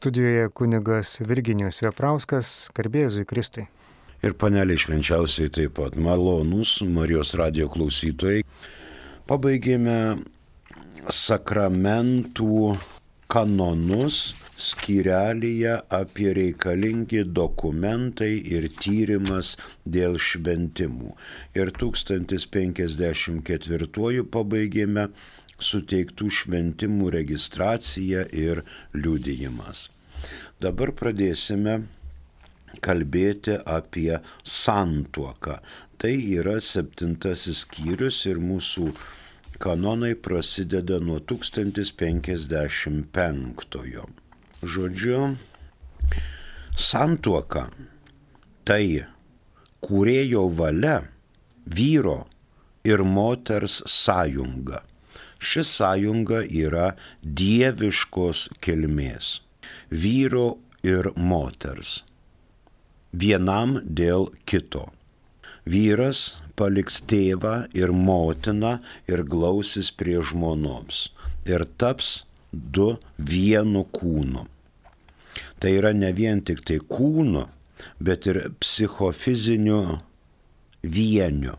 studijoje kunigas Virginijus Veprauskas, garbė Jėzui Kristui. Ir paneliai švenčiausiai taip pat malonūs Marijos radijo klausytojai. Pabaigėme sakramentų kanonus skyrelyje apie reikalingi dokumentai ir tyrimas dėl šventimų. Ir 1054 pabaigėme suteiktų šventimų registracija ir liudijimas. Dabar pradėsime kalbėti apie santuoką. Tai yra 7 skyrius ir mūsų kanonai prasideda nuo 1055. Žodžiu, santuoka tai kūrėjo valia, vyro ir moters sąjunga. Ši sąjunga yra dieviškos kilmės, vyro ir moters, vienam dėl kito. Vyras paliks tėvą ir motiną ir glausis prie žmonos ir taps du vienu kūnu. Tai yra ne vien tik tai kūnu, bet ir psichofiziniu vieniu.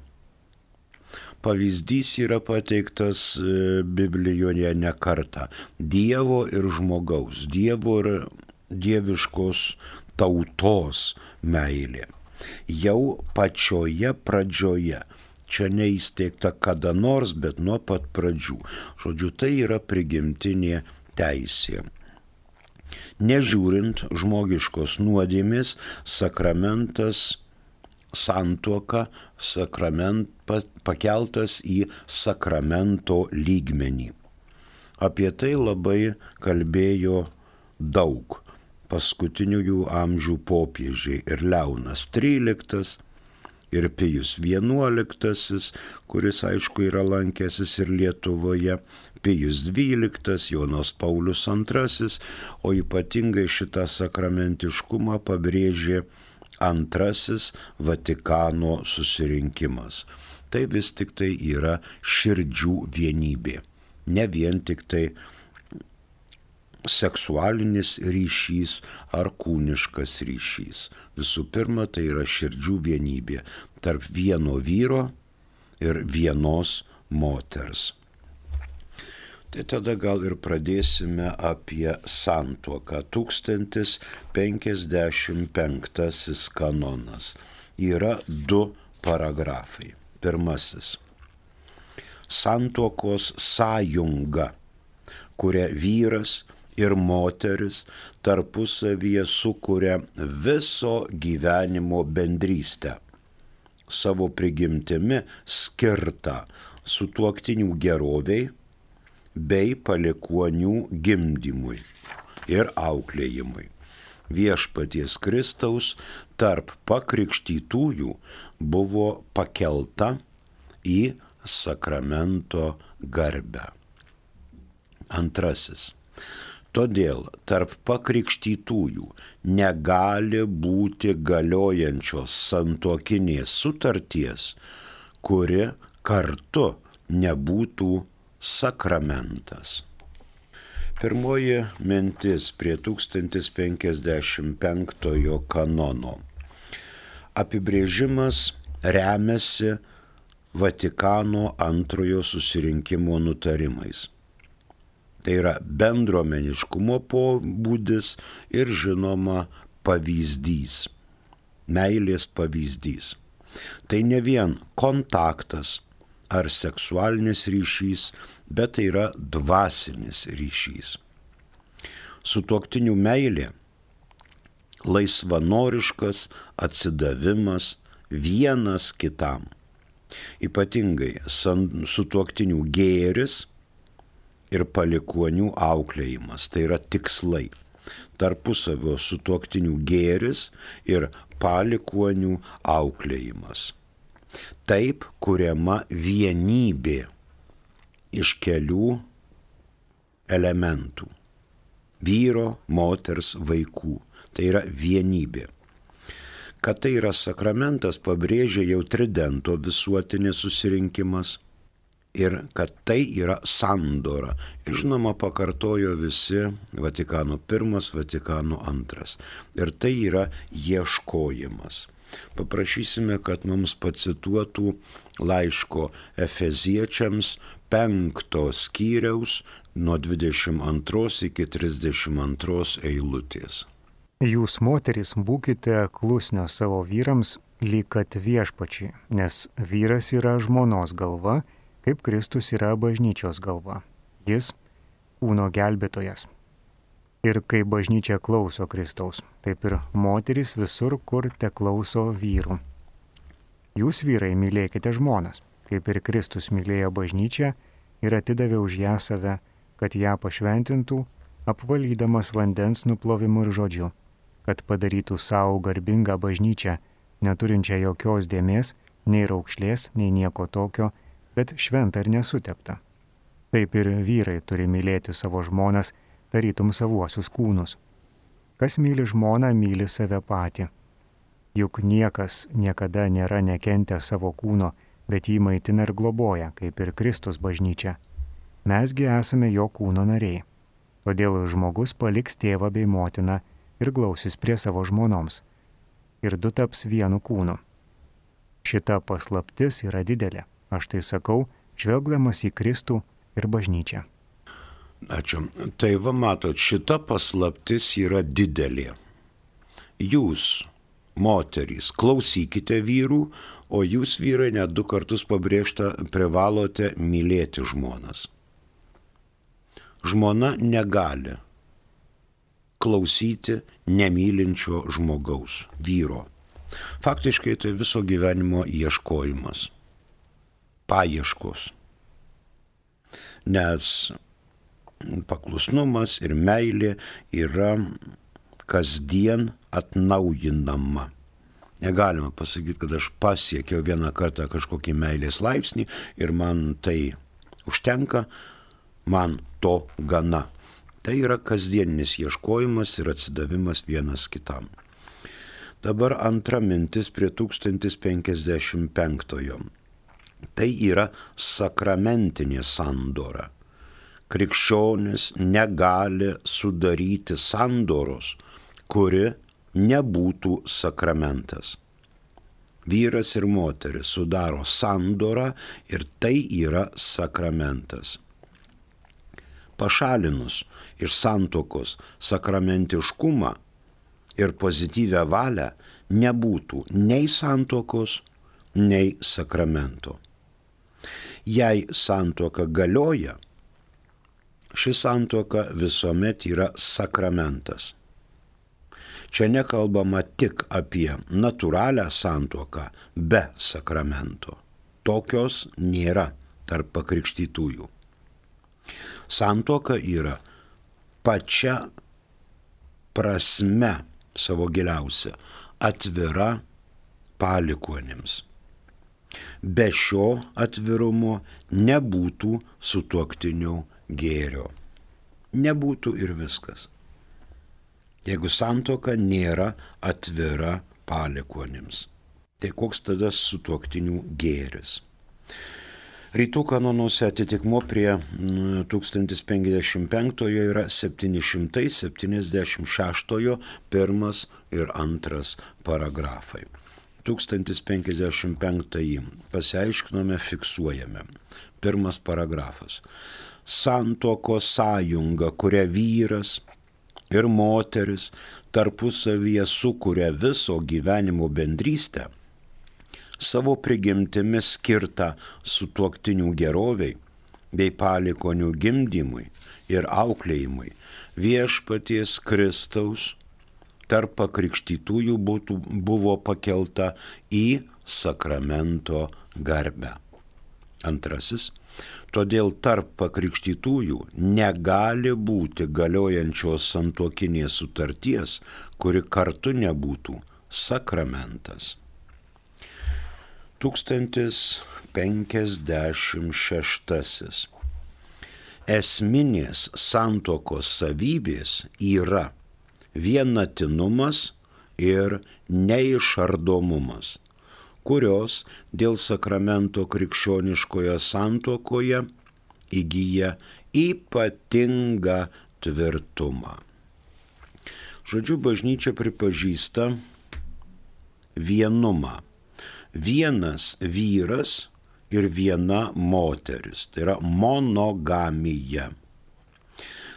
Pavyzdys yra pateiktas Biblijoje ne kartą. Dievo ir žmogaus, Dievo ir dieviškos tautos meilė. Jau pačioje pradžioje, čia neįsteigta kada nors, bet nuo pat pradžių. Žodžiu, tai yra prigimtinė teisė. Nežiūrint žmogiškos nuodėmės, sakramentas, santuoka, pakeltas į sakramento lygmenį. Apie tai labai kalbėjo daug paskutiniųjų amžių popiežiai ir Leonas XIII, ir Pijus XI, kuris aišku yra lankęsis ir Lietuvoje, Pijus XII, Jonas Paulius II, o ypatingai šitą sakramentiškumą pabrėžė antrasis Vatikano susirinkimas. Tai vis tik tai yra širdžių vienybė, ne vien tik tai seksualinis ryšys ar kūniškas ryšys. Visų pirma, tai yra širdžių vienybė tarp vieno vyro ir vienos moters. Tai tada gal ir pradėsime apie santuoką. 1055 kanonas. Yra 2 paragrafai. Pirmasis. Santuokos sąjunga, kuria vyras ir moteris tarpusavyje sukuria viso gyvenimo bendrystę, savo prigimtimi skirtą sutuoktinių geroviai bei palikuonių gimdymui ir auklėjimui. Viešpaties Kristaus tarp pakrikštytųjų buvo pakelta į sakramento garbę. Antrasis. Todėl tarp pakrikštytųjų negali būti galiojančios santuokinės sutarties, kuri kartu nebūtų sakramentas. Pirmoji mintis prie 1055 kanono. Apibrėžimas remiasi Vatikano antrojo susirinkimo nutarimais. Tai yra bendruomeniškumo pobūdis ir žinoma pavyzdys, meilės pavyzdys. Tai ne vien kontaktas ar seksualinis ryšys, bet tai yra dvasinis ryšys. Sutuoktinių meilė, laisvanoriškas atsidavimas vienas kitam. Ypatingai sutuoktinių gėris ir palikuonių auklėjimas, tai yra tikslai. Tarpusavio sutuoktinių gėris ir palikuonių auklėjimas. Taip kuriama vienybė iš kelių elementų. Vyro, moters, vaikų. Tai yra vienybė. Kad tai yra sakramentas, pabrėžia jau Tridento visuotinis susirinkimas. ir kad tai yra sandora. Ir žinoma, pakartojo visi Vatikano I, Vatikano II. Ir tai yra ieškojimas. Paprašysime, kad mums pacituotų laiško Efeziečiams 5 skyriaus nuo 22 iki 32 eilutės. Jūs, moterys, būkite klusnios savo vyrams, lyg kad viešpačiui, nes vyras yra žmonos galva, kaip Kristus yra bažnyčios galva. Jis kūno gelbėtojas. Ir kai bažnyčia klauso Kristaus, taip ir moterys visur, kur te klauso vyrų. Jūs, vyrai, mylėkite žmonas, kaip ir Kristus mylėjo bažnyčią ir atidavė už ją save, kad ją pašventintų, apvalydamas vandens nuplovimu ir žodžiu, kad padarytų savo garbingą bažnyčią, neturinčią jokios dėmės, nei raukšlės, nei nieko tokio, bet šventą ir nesuteptą. Taip ir vyrai turi mylėti savo žmonas, tarytum savuosius kūnus. Kas myli žmoną, myli save patį. Juk niekas niekada nėra nekentę savo kūno, bet jį maitina ir globoja, kaip ir Kristus bažnyčia. Mesgi esame jo kūno nariai. Todėl žmogus paliks tėvą bei motiną ir glausis prie savo žmonoms. Ir du taps vienu kūnu. Šita paslaptis yra didelė. Aš tai sakau, žvelgdamas į Kristų ir bažnyčią. Ačiū. Tai va matot, šita paslaptis yra didelė. Jūs, moterys, klausykite vyrų, o jūs, vyrai, net 2 kartus pabrėžta, privalote mylėti žmonas. Žmona negali klausyti nemylinčio žmogaus, vyro. Faktiškai tai viso gyvenimo ieškojimas, paieškos. Nes paklusnumas ir meilė yra kasdien atnaujinama. Negalima pasakyti, kad aš pasiekiau vieną kartą kažkokį meilės laipsnį ir man tai užtenka, man to gana. Tai yra kasdieninis ieškojimas ir atsidavimas vienas kitam. Dabar antra mintis prie 1055. Tai yra sakramentinė sandora. Krikščionis negali sudaryti sandoros, kuri nebūtų sakramentas. Vyras ir moteris sudaro sandorą ir tai yra sakramentas. Pašalinus iš santuokos sakramentiškumą ir pozityvią valią nebūtų nei santuokos, nei sakramento. Jei santuoka galioja, ši santuoka visuomet yra sakramentas. Čia nekalbama tik apie natūralią santuoką be sakramento. Tokios nėra tarp pakrikštytųjų. Santuoka yra pačia prasme savo giliausia atvira palikuonims. Be šio atvirumo nebūtų sutuoktinių gėrio. Nebūtų ir viskas. Jeigu santuoka nėra atvira palikuonims, tai koks tada sutuoktinių gėris? Rytų kanonuose atitikmuo prie 1055 yra 776 1 ir 2 paragrafai. 1055 pasiaiškinome, fiksuojame. 1 paragrafas. Santuokos sąjunga, kuria vyras ir moteris tarpusavyje sukuria viso gyvenimo bendrystę, savo prigimtimi skirtą sutuoktinių geroviai bei palikonių gimdymui ir auklėjimui, viešpaties Kristaus tarp pakrikštytųjų buvo pakelta į sakramento garbę. 2. Todėl tarp pakrikštytųjų negali būti galiojančios santuokinės sutarties, kuri kartu nebūtų sakramentas. 1056. Esminės santuokos savybės yra vienatinumas ir neišardomumas, kurios dėl sakramento krikščioniškoje santuokoje įgyja ypatingą tvirtumą. Žodžiu, bažnyčia pripažįsta vienumą. Vienas vyras ir viena moteris. Tai yra monogamija.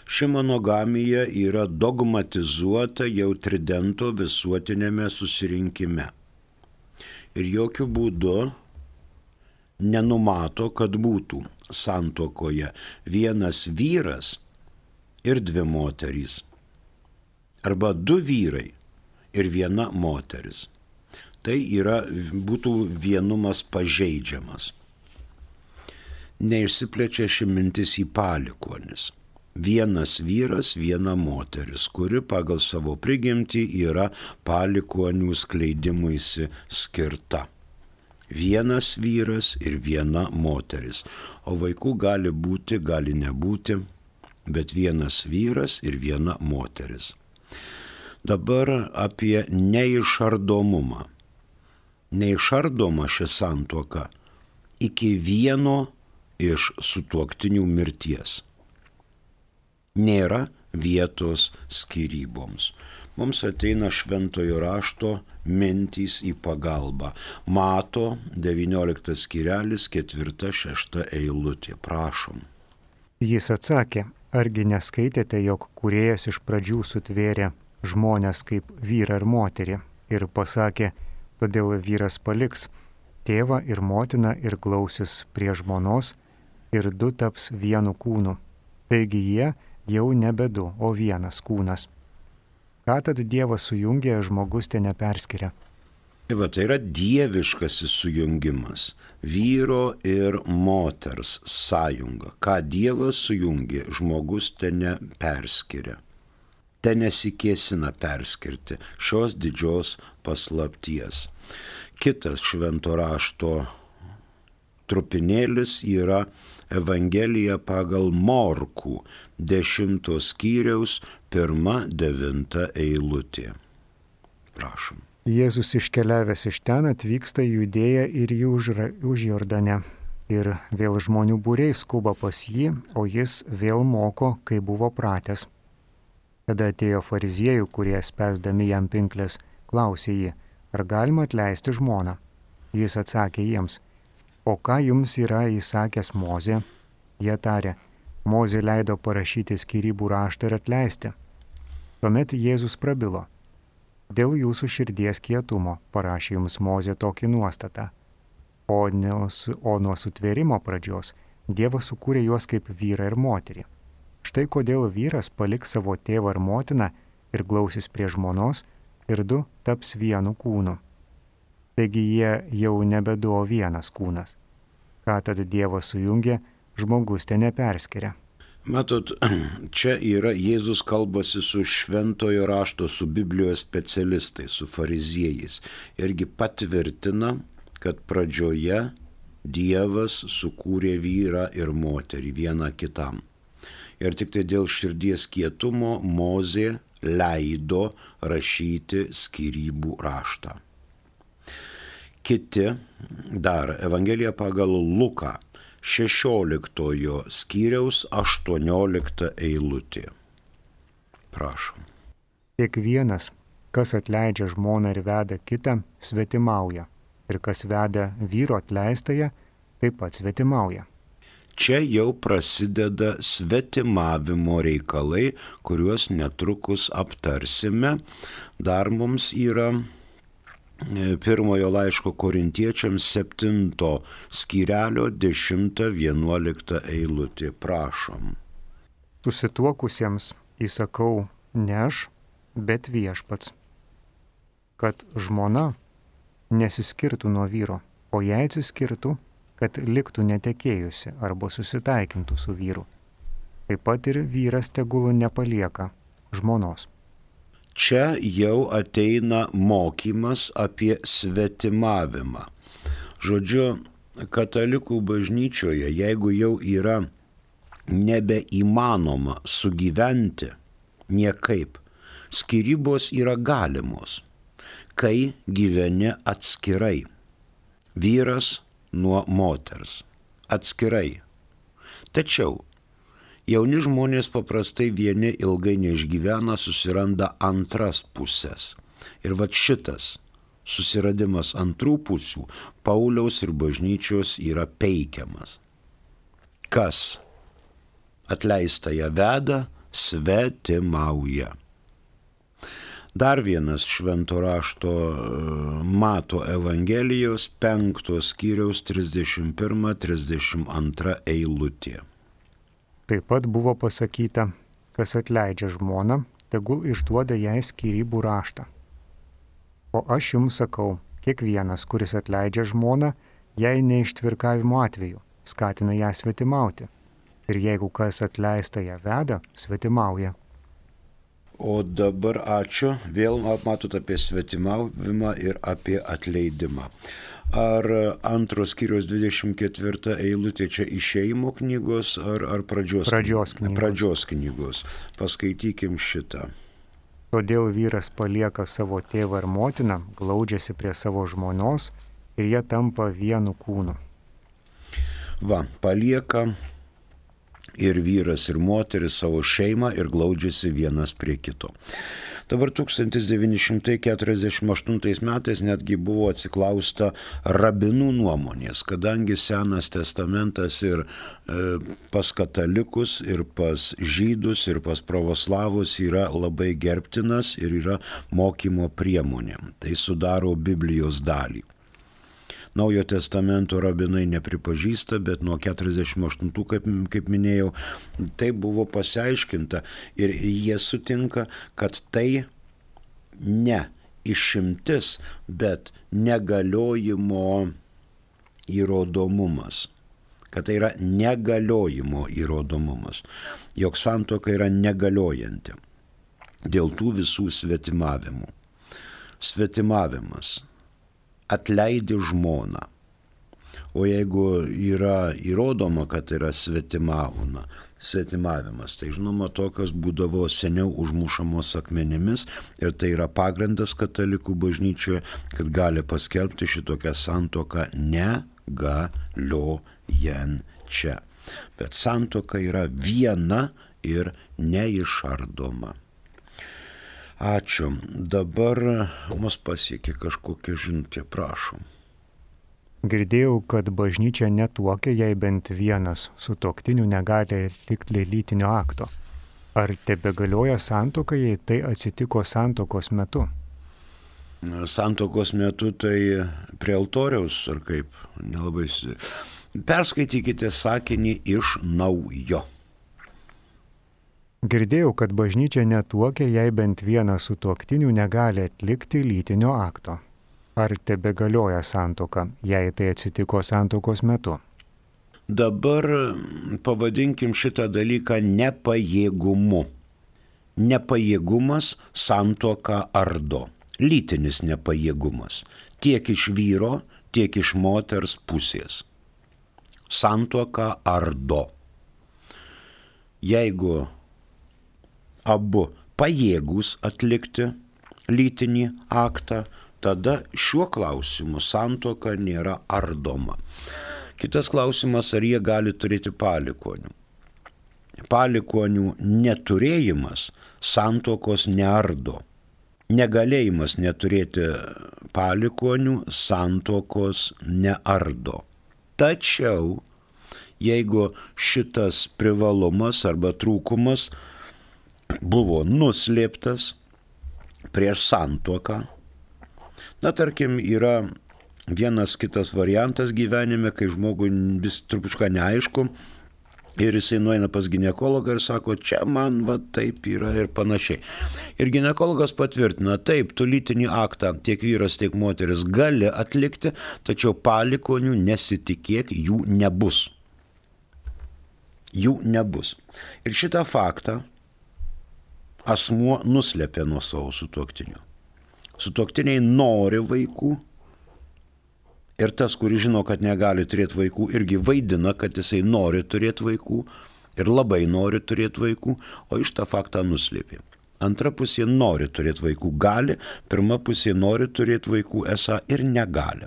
Ši monogamija yra dogmatizuota jau Tridento visuotinėme susirinkime. Ir jokių būdų nenumato, kad būtų santuokoje vienas vyras ir dvi moterys. Arba du vyrai ir viena moteris. Tai būtų vienumas pažeidžiamas. Neišsiplečia ši mintis į palikuonis. Vienas vyras, viena moteris, kuri pagal savo prigimtį yra palikuonių skleidimuisi skirta. Vienas vyras ir viena moteris, o vaikų gali būti, gali nebūti, bet vienas vyras ir viena moteris. Dabar apie neišardomumą. Neišardoma ši santuoka iki vieno iš sutuoktinių mirties. Nėra vietos skyryboms. Mums ateina šventojo rašto mintys į pagalbą. Mato 19 skyrelis 4-6 eilutė. Prašom. Jis atsakė, argi neskaitėte, jog kūrėjas iš pradžių sutvėrė žmonės kaip vyrą ir moterį ir pasakė, todėl vyras paliks tėvą ir motiną ir glausis prie žmonos ir du taps vienu kūnu. Taigi jie jau nebe du, o vienas kūnas. Ką tad Dievas sujungė, žmogus te neperskiria. Tai yra dieviškasis sujungimas, vyro ir moters sąjunga. Ką Dievas sujungė, žmogus te neperskiria. Te nesikėsina perskirti šios didžios paslapties. Kitas švento rašto trupinėlis yra Evangelija pagal Morkų 10 skyriaus 1-9 eilutė. Prašom. Jėzus iškeliavęs iš ten atvyksta į Judėją ir į Užjordanę. Ir vėl žmonių būriai skuba pas jį, o jis vėl moko, kai buvo pratęs. Tada atėjo fariziejų, kurie spęsdami jam pinklės, klausė jį, ar galima atleisti žmoną. Jis atsakė jiems, o ką jums yra įsakęs Mozė? Jie tarė, Mozė leido parašyti skyrybų raštą ir atleisti. Tuomet Jėzus prabilo, dėl jūsų širdies kietumo parašė jums Mozė tokį nuostatą. O nuo sutvėrimo pradžios Dievas sukūrė juos kaip vyrą ir moterį. Štai kodėl vyras paliks savo tėvą ir motiną ir glausis prie žmonos ir du taps vienu kūnu. Taigi jie jau nebe du, o vienas kūnas. Ką tada Dievas sujungė, žmogus te neperskiria. Matot, čia yra Jėzus kalbasi su šventojo rašto, su Biblijos specialistais, su fariziejais. Irgi patvirtina, kad pradžioje Dievas sukūrė vyrą ir moterį vieną kitam. Ir tik tai dėl širdies kietumo Mozė leido rašyti skyrybų raštą. Kiti dar Evangelija pagal Luką 16 skyriaus 18 eilutė. Prašom. Kiekvienas, kas atleidžia žmoną ir veda kitą, svetimauja. Ir kas veda vyro atleistąją, taip pat svetimauja. Čia jau prasideda svetimavimo reikalai, kuriuos netrukus aptarsime. Dar mums yra pirmojo laiško Korintiečiams 7 skyrelio 10-11 eilutė. Prašom. Susituokusiems įsakau ne aš, bet viešpats, kad žmona nesiskirtų nuo vyro, o jei atsiskirtų, kad liktų netekėjusi arba susitaikintų su vyru. Taip pat ir vyras tegul nepalieka žmonos. Čia jau ateina mokymas apie svetimavimą. Žodžiu, katalikų bažnyčioje, jeigu jau yra nebeįmanoma sugyventi niekaip, skyrybos yra galimos, kai gyveni atskirai. vyras nuo moters, atskirai. Tačiau jauni žmonės paprastai vieni ilgai neišgyvena, susiranda antras pusės. Ir vat šitas susiradimas antrų pusių Pauliaus ir bažnyčios yra peikiamas. Kas atleistąją veda, svetimauja. Dar vienas švento rašto Mato Evangelijos 5 skyriaus 31-32 eilutė. Taip pat buvo pasakyta, kas atleidžia žmoną, tegul išduoda jai skyrybų raštą. O aš jums sakau, kiekvienas, kuris atleidžia žmoną, jai neištvirkavimo atveju, skatina ją svetimauti. Ir jeigu kas atleista ją veda, svetimauja. O dabar ačiū, vėl matot apie svetimavimą ir apie atleidimą. Ar antros skyriaus 24 eilutė čia išėjimo knygos ar pradžios knygos? Pradžios knygos. Paskaitykim šitą. Todėl vyras palieka savo tėvą ir motiną, glaudžiasi prie savo žmonos ir jie tampa vienu kūnu. Va, palieka ir vyras ir moteris savo šeimą ir glaudžiasi vienas prie kito. Dabar 1948 metais netgi buvo atsiklausta rabinų nuomonės, kadangi Senas testamentas ir pas katalikus, ir pas žydus, ir pas pravoslavus yra labai gerbtinas ir yra mokymo priemonė. Tai sudaro Biblijos dalį. Naujo testamento rabinai nepripažįsta, bet nuo 48, kaip minėjau, tai buvo pasiaiškinta ir jie sutinka, kad tai ne išimtis, bet negaliojimo įrodomumas. Kad tai yra negaliojimo įrodomumas, jog santuoka yra negaliojanti dėl tų visų svetimavimų. Svetimavimas. Atleidi žmoną. O jeigu yra įrodoma, kad yra svetimavimas, tai žinoma, tokios būdavo seniau užmušamos akmenimis ir tai yra pagrindas katalikų bažnyčioje, kad gali paskelbti šitokią santuoką negaliojančią. Bet santuoka yra viena ir neišardoma. Ačiū. Dabar mus pasiekė kažkokia žinutė, prašom. Girdėjau, kad bažnyčia netuokia, jei bent vienas sutuoktinių negali atlikti lytinio akto. Ar tebegalioja santuoka, jei tai atsitiko santuokos metu? Santuokos metu tai prie altoriaus, ar kaip? Nelabai. Perskaitykite sakinį iš naujo. Girdėjau, kad bažnyčia netuokia, jei bent vienas sutuoktinių negali atlikti lytinio akto. Ar tebegalioja santuoka, jei tai atsitiko santuokos metu? Dabar pavadinkim šitą dalyką nepajėgumu. Nepajėgumas santuoką ardo. Lytinis nepajėgumas. Tiek iš vyro, tiek iš moters pusės. Santuoką ardo. Jeigu abu pajėgus atlikti lytinį aktą, tada šiuo klausimu santuoka nėra ardoma. Kitas klausimas, ar jie gali turėti palikuonių. Palikuonių neturėjimas santuokos neardo. Negalėjimas neturėti palikuonių santuokos neardo. Tačiau, jeigu šitas privalumas arba trūkumas buvo nuslėptas prieš santuoką. Na, tarkim, yra vienas kitas variantas gyvenime, kai žmogui vis trupučką neaišku ir jisai nueina pas ginekologą ir sako, čia man va taip yra ir panašiai. Ir ginekologas patvirtina, taip, tu lytinį aktą tiek vyras, tiek moteris gali atlikti, tačiau palikonių nesitikėk, jų nebus. Jų nebus. Ir šitą faktą asmuo nuslėpė nuo savo sutuoktinių. Sutuoktiniai nori vaikų ir tas, kuris žino, kad negali turėti vaikų, irgi vaidina, kad jisai nori turėti vaikų ir labai nori turėti vaikų, o iš tą faktą nuslėpė. Antra pusė nori turėti vaikų, gali, pirma pusė nori turėti vaikų, esą ir negali.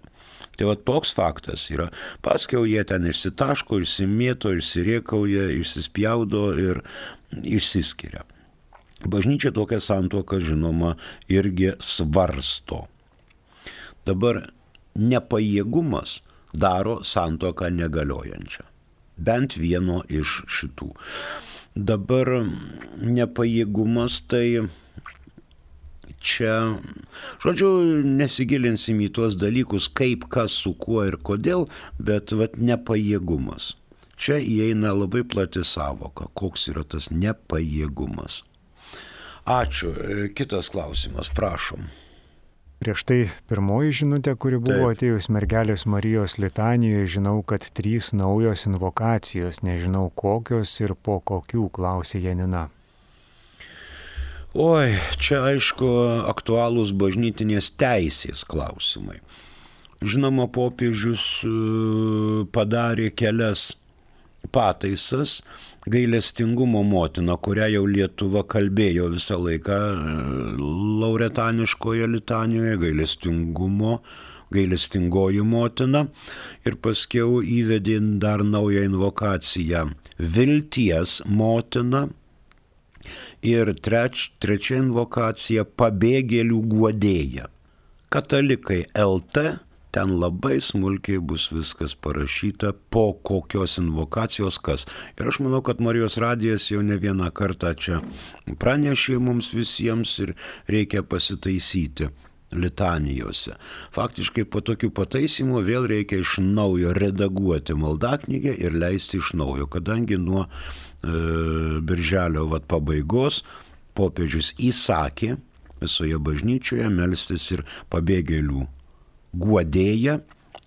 Tai va toks faktas yra. Paskiau jie ten išsitaško, išsimėto, išsiriekauja, išsispjaudo ir išsiskiria. Bažnyčia tokią santuoką, žinoma, irgi svarsto. Dabar nepajėgumas daro santuoką negaliojančią. Bent vieno iš šitų. Dabar nepajėgumas tai čia, žodžiu, nesigilinsim į tuos dalykus, kaip, kas, su kuo ir kodėl, bet nepajėgumas. Čia įeina labai plati savoka, koks yra tas nepajėgumas. Ačiū. Kitas klausimas, prašom. Prieš tai pirmoji žinutė, kuri buvo atėjus mergelės Marijos litanijoje, žinau, kad 3 naujos invokacijos, nežinau kokios ir po kokių, klausė Janina. Oi, čia aišku aktualūs bažnytinės teisės klausimai. Žinoma, popiežius padarė kelias pataisas, gailestingumo motina, kurią jau Lietuva kalbėjo visą laiką lauretaniškoje litanijoje, gailestingoji motina, ir paskiau įvedė dar naują invokaciją vilties motina ir trečia invokacija pabėgėlių guodėja. Katalikai LT, ten labai smulkiai bus viskas parašyta, po kokios invokacijos kas. Ir aš manau, kad Marijos radijas jau ne vieną kartą čia pranešė mums visiems ir reikia pasitaisyti litanijose. Faktiškai po tokių pataisimų vėl reikia iš naujo redaguoti maldaknygę ir leisti iš naujo, kadangi nuo birželio pabaigos popiežius įsakė visoje bažnyčioje melstis ir pabėgėlių guodėja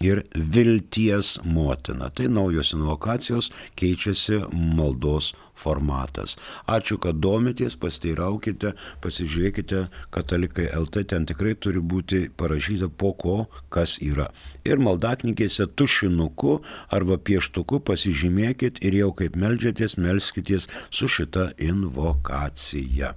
ir vilties motina. Tai naujos invokacijos, keičiasi maldos formatas. Ačiū, kad domitės, pasteiraukite, pasižiūrėkite, Katalikai LT, ten tikrai turi būti parašyta po ko, kas yra. Ir maldaknygėse tušinuku arba pieštuku pasižymėkit ir jau kaip meldžiatės, melskitės su šita invokacija.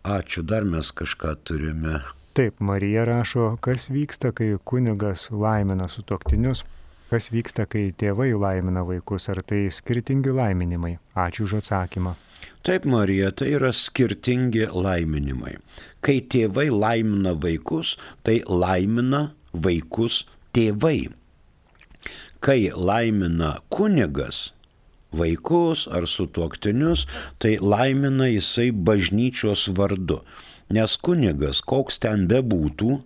Ačiū, dar mes kažką turime. Taip, Marija rašo, kas vyksta, kai kunigas laimina sutuoktinius, kas vyksta, kai tėvai laimina vaikus, ar tai skirtingi laiminimai? Ačiū už atsakymą. Taip, Marija, tai yra skirtingi laiminimai. Kai tėvai laimina vaikus, tai laimina vaikus tėvai. Kai laimina kunigas vaikus ar sutuoktinius, tai laimina jisai bažnyčios vardu. Nes kunigas, koks ten bebūtų,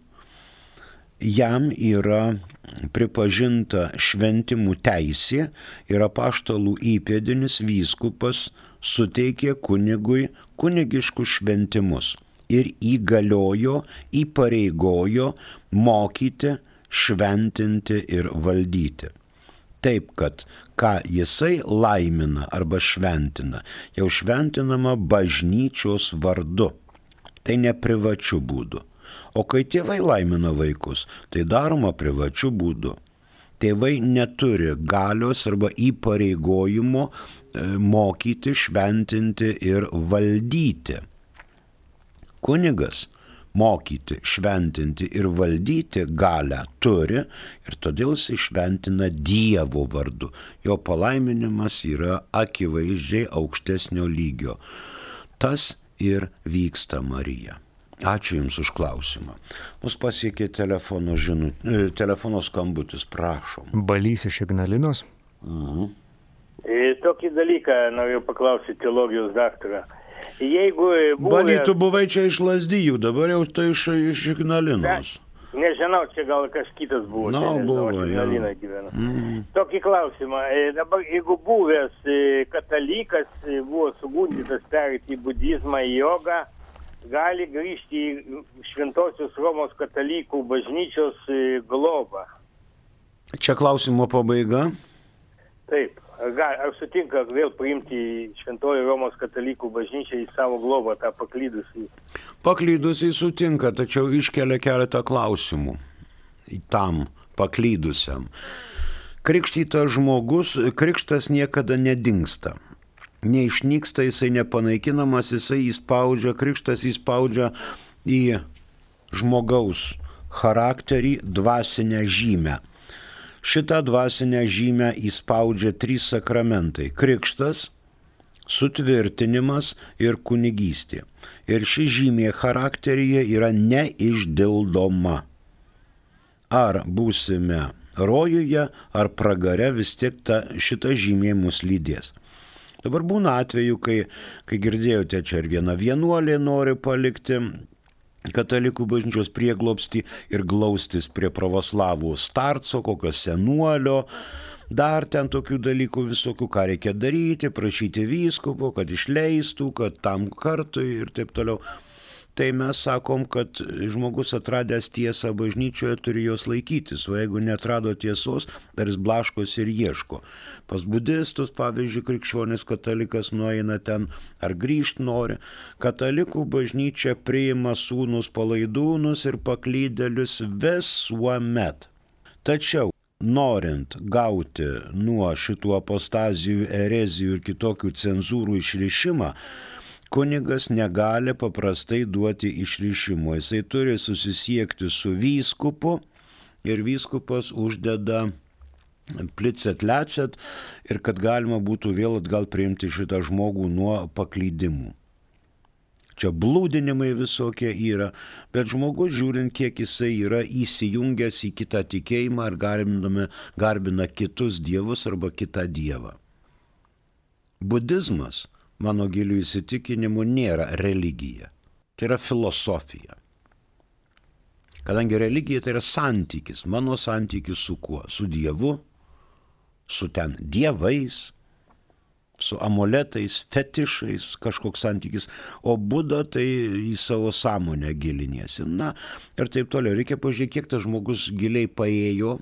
jam yra pripažinta šventimų teisė ir apaštalų įpėdinis vyskupas suteikė kunigui kunigiškus šventimus ir įgaliojo, įpareigojo mokyti, šventinti ir valdyti. Taip, kad ką jisai laimina arba šventina, jau šventinama bažnyčios vardu. Tai ne privačiu būdu. O kai tėvai laimina vaikus, tai daroma privačiu būdu. Tėvai neturi galios arba įpareigojimo mokyti, šventinti ir valdyti. Kunigas mokyti, šventinti ir valdyti galią turi ir todėl jis šventina Dievo vardu. Jo palaiminimas yra akivaizdžiai aukštesnio lygio. Tas ir vyksta, Marija. Ačiū Jums už klausimą. Mus pasiekė telefono skambutis, prašom. Balys iš Ignalinos. Tokį dalyką noriu paklausyti teologijos daktarą. Jeigu Baly, tu buvai čia iš Lazdijų, dabar jau tai iš Ignalinos. Nežinau, čia gal kas kitas buvo. Buvo, Ignalina gyvena. Tokį klausimą. Dabar, jeigu buvęs katalikas buvo sugundytas perėti į budizmą, į jogą, gali grįžti į Šventosios Romos katalikų bažnyčios globą. Čia klausimo pabaiga? Taip. Ar sutinka vėl priimti Šventoji Romos katalikų bažnyčią į savo globą, tą paklydusį? Paklydusiai sutinka, tačiau iškelia keletą klausimų tam paklydusiam. Krikštytas žmogus, krikštas niekada nedingsta. Neišnyksta, jisai nepanaikinamas, jisai įspaudžia, krikštas įspaudžia į žmogaus charakterį dvasinę žymę. Šitą dvasinę žymę įspaudžia 3 sakramentai – krikštas, sutvirtinimas ir kunigystė. Ir ši žymė charakteryje yra neišdildoma. Ar būsime rojuje, ar pragare, vis tiek šita žymė mus lydės. Dabar būna atveju, kai girdėjote, čia ir viena vienuolė nori palikti katalikų bažnyčios prieglobstį ir glaustis prie pravoslavų starco, kokio senuolio, dar ten tokių dalykų visokių, ką reikia daryti, prašyti vyskupo, kad išleistų, kad tam kartui ir taip toliau. Tai mes sakom, kad žmogus atradęs tiesą bažnyčioje turi jos laikytis, o jeigu netrado tiesos, dar jis blaškosi ir ieško. Pas budistus, pavyzdžiui, krikščionis katalikas nueina ten ar grįžt nori. Katalikų bažnyčia priima sūnus palaidūnus ir paklydėlius visuomet. Tačiau, norint gauti nuo šitų apostazijų, erezijų ir kitokių cenzūrų išrišimą, kunigas negali paprastai duoti išrišimo. Jisai turi susisiekti su vyskupu ir vyskupas uždeda plicet lecet ir kad galima būtų vėl atgal priimti šitą žmogų nuo paklydimų. Čia blūdinimai visokie yra, bet žmogus žiūrint, kiek jisai yra įsijungęs į kitą tikėjimą ar garbina kitus dievus arba kitą dievą. Budizmas, mano gilių įsitikinimu, nėra religija. Tai yra filosofija. Kadangi religija tai yra santykis, mano santykis su kuo? Su Dievu, su ten dievais, su amuletais, fetišais, kažkoks santykis. O Buda tai į savo sąmonę giliniesi. Na ir taip toliau. Reikia pažiūrėti, kiek tas žmogus giliai paėjo,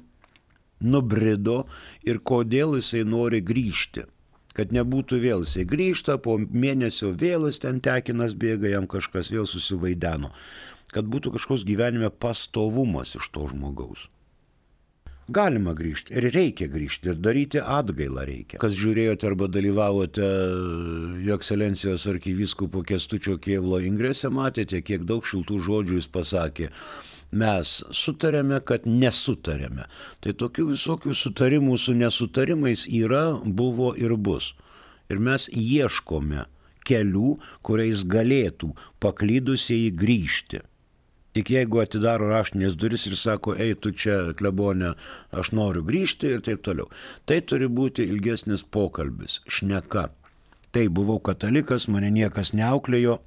nubrido ir kodėl jisai nori grįžti. Kad nebūtų vėl, jisai grįžta, po mėnesio vėl jis ten tekinas bėga, jam kažkas vėl susivaideno. Kad būtų kažkoks gyvenime pastovumas iš to žmogaus. Galima grįžti ir reikia grįžti ir daryti atgailą reikia. Kas žiūrėjote arba dalyvavote Jo Ekscelencijos arkivyskupo Kęstučio Kėvlo ingrese, matėte, kiek daug šiltų žodžių jis pasakė. Mes sutarėme, kad nesutarėme. Tai tokių visokių sutarimų su nesutarimais yra, buvo ir bus. Ir mes ieškome kelių, kuriais galėtų paklydusieji grįžti. Tik jeigu atidaro raštinės duris ir sako, ei, tu čia, klebone, aš noriu grįžti ir taip toliau. Tai turi būti ilgesnis pokalbis, šneka. Tai buvau katalikas, mane niekas neauklėjo,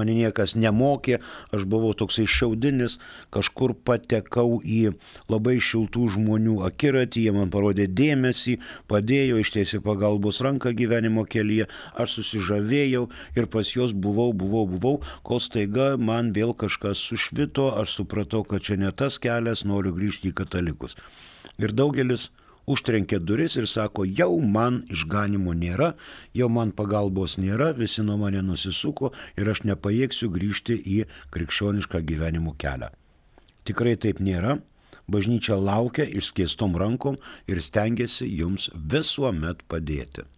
mane niekas nemokė, aš buvau toksai šiaudinis, kažkur patekau į labai šiltų žmonių akiratį, jie man parodė dėmesį, padėjo, ištiesė pagalbos ranką gyvenimo kelyje, aš susižavėjau ir pas juos buvau, kol staiga man vėl kažkas sušvito, aš supratau, kad čia ne tas kelias, noriu grįžti į katalikus. Ir daugelis užtrenkė duris ir sako, jau man išganimo nėra, jau man pagalbos nėra, visi nuo mane nusisuko ir aš nepajėgsiu grįžti į krikščionišką gyvenimo kelią. Tikrai taip nėra, bažnyčia laukia išskėstom rankom ir stengiasi jums visuomet padėti.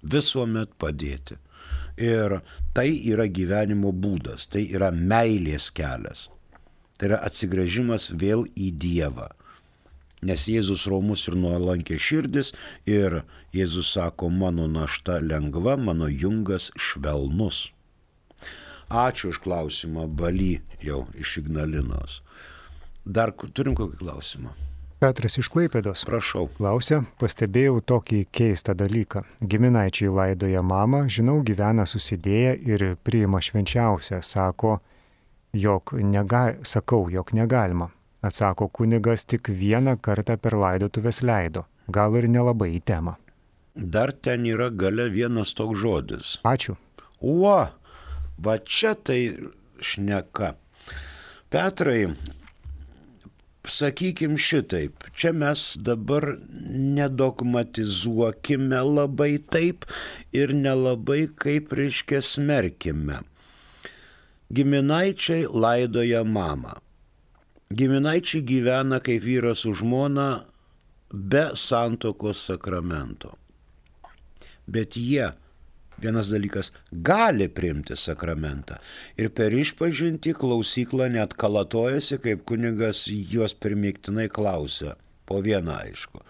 Visuomet padėti. Ir tai yra gyvenimo būdas, tai yra meilės kelias, tai yra atsigręžimas vėl į Dievą. Nes Jėzus romus ir nuolankė širdis ir Jėzus sako, mano našta lengva, mano jungas švelnus. Ačiū už klausimą, Bali jau iš Ignalinos. Dar turim kokį klausimą? Petras iš Klaipėdos. Prašau. Klausia, pastebėjau tokį keistą dalyką. Giminaičiai laidoja mamą, žinau, gyvena susidėję ir priima švenčiausią, sakau, jog negalima. Atsako kunigas, tik vieną kartą per laidotuvės leido. Gal ir nelabai į temą. Dar ten yra gale vienas toks žodis. Ačiū. Va čia tai šneka. Petrai, sakykim šitaip, čia mes dabar nedogmatizuokime labai taip ir nelabai kaip reiškia smerkime. Giminaičiai laidoja mamą. Giminaičiai gyvena kaip vyras su žmona be santuokos sakramento. Bet jie, vienas dalykas, gali priimti sakramentą. Ir per išpažintį klausyklą net kalatojasi, kaip kunigas juos primygtinai klausia. po vieną aišku.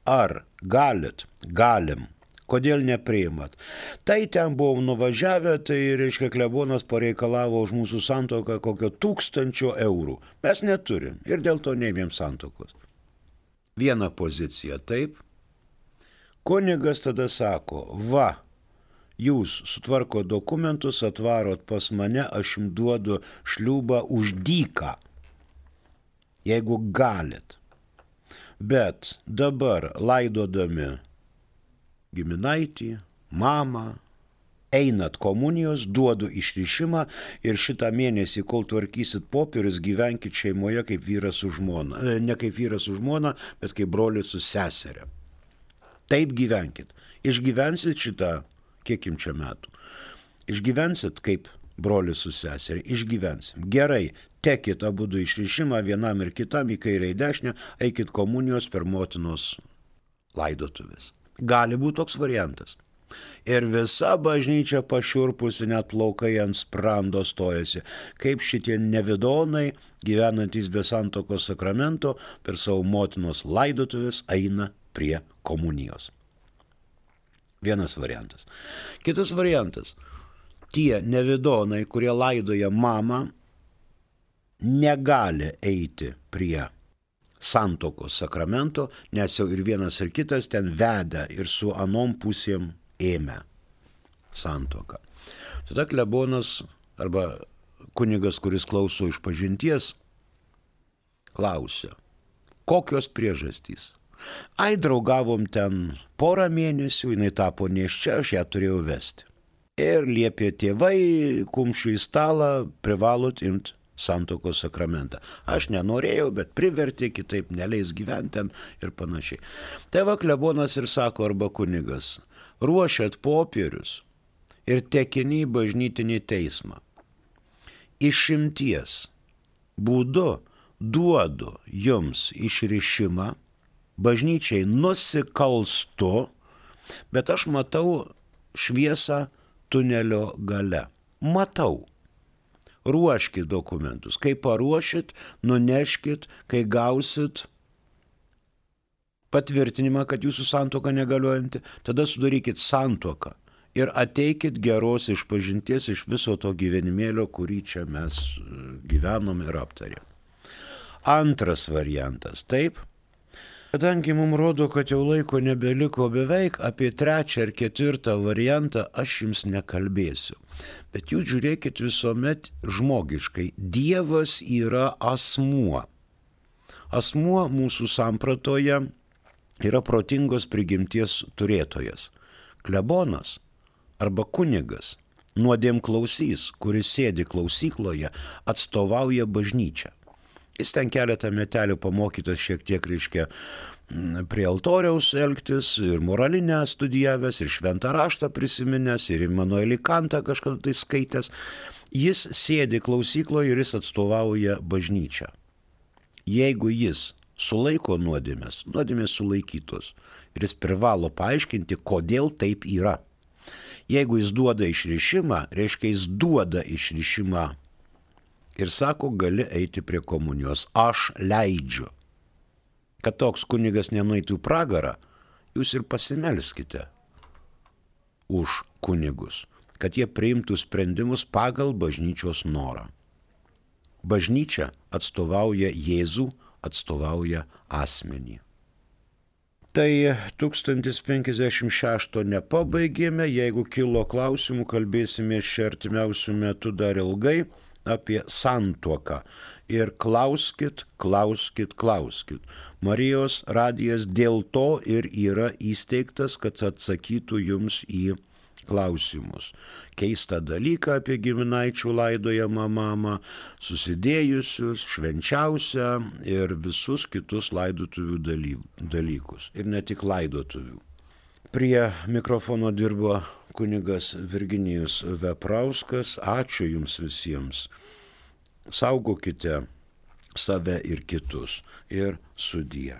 Ar galit? Galim. Kodėl nepriimat? Tai ten buvom nuvažiavę, tai reiškia klebonas pareikalavo už mūsų santuoką kokio 1000 eurų. Mes neturim ir dėl to neėmėm santuokos. Viena pozicija, taip. Kunigas tada sako, va, jūs sutvarko dokumentus, atvarot pas mane, aš jums duodu šliūbą už dyką, jeigu galit. Bet dabar laidodami giminaitį, mamą, einat komunijos, duodu išrišimą ir šitą mėnesį, kol tvarkysit popierius, gyvenkit šeimoje kaip vyras su žmona. Ne kaip vyras su žmona, bet kaip brolis su seserė. Taip gyvenkit. Išgyvensit šitą, kiek jums čia metų. Išgyvensit kaip brolis su seserė. Išgyvensim. Gerai, tekit abudu išrišimą vienam ir kitam į kairę į dešinę, eikit komunijos per motinos laidotuvės. Gali būti toks variantas. Ir visa bažnyčia pašiurpusi, net plaukai ant sprando stojasi, kaip šitie nevidonai, gyvenantys be santuokos sakramento, per savo motinos laidotuvės eina prie komunijos. Vienas variantas. Kitas variantas. Tie nevidonai, kurie laidoja mamą, negali eiti prie santuokos sakramento, nes jau ir vienas ir kitas ten veda ir su anom pusėm ėmė santuoką. Tada klebonas arba kunigas, kuris klauso išpažinties, klausia, kokios priežastys? Ai, draugavom ten porą mėnesių, jinai tapo nėščia, aš ją turėjau vesti. Ir liepė tėvai, kumščių į stalą, privalot imti santuokos sakramentą. Aš nenorėjau, bet privertė, kitaip neleis gyventi ir panašiai. Tai va klebonas ir sako, arba kunigas, ruošiat popierius ir tekini į bažnytinį teismą. Išimties būdu duodu jums išrišimą, bažnyčiai nusikalstu, bet aš matau šviesą tunelio gale. Matau. Ruoškit dokumentus. Kai paruošit, nuneškit, kai gausit patvirtinimą, kad jūsų santuoka negaliojanti, tada sudarykit santuoką ir ateikit geros išpažinties iš viso to gyvenimėlio, kurį čia mes gyvenom ir aptarėm. Antras variantas, taip. Kadangi mums rodo, kad jau laiko nebeliko beveik, apie 3. ir 4. variantą aš jums nekalbėsiu. Bet jūs žiūrėkit visuomet žmogiškai. Dievas yra asmuo. Asmuo mūsų sampratoje yra protingos prigimties turėtojas. Klebonas arba kunigas, nuodėmklausys, kuris sėdi klausykloje, atstovauja bažnyčią. Jis ten keletą metelių pamokytas šiek tiek, reiškia, prie altoriaus elgtis, ir moralinę studijavęs, ir šventą raštą prisiminęs, ir Immanuelį Kantą kažkada tai skaitęs. Jis sėdi klausykloje ir jis atstovauja bažnyčią. Jeigu jis sulaiko nuodėmės sulaikytos, ir jis privalo paaiškinti, kodėl taip yra. Jeigu jis duoda išrišimą, reiškia, jis duoda išrišimą ir sako, gali eiti prie komunijos. Aš leidžiu. Kad toks kunigas nenueitų į pragarą, jūs ir pasimelskite už kunigus, kad jie priimtų sprendimus pagal bažnyčios norą. Bažnyčia atstovauja Jėzų, atstovauja asmenį. Tai 1056 nepabaigėme, jeigu kilo klausimų, kalbėsime šią artimiausių metų dar ilgai apie santuoką. Ir klauskit. Marijos radijas dėl to ir yra įsteigtas, kad atsakytų jums į klausimus. Keistą dalyką apie giminaičių laidojamą mamą, susidėjusius, švenčiausią ir visus kitus laidotuvių dalykus. Ir ne tik laidotuvių. Prie mikrofono dirbo kunigas Virginijus Veprauskas. Ačiū jums visiems. Saugokite save ir kitus. Ir sudie.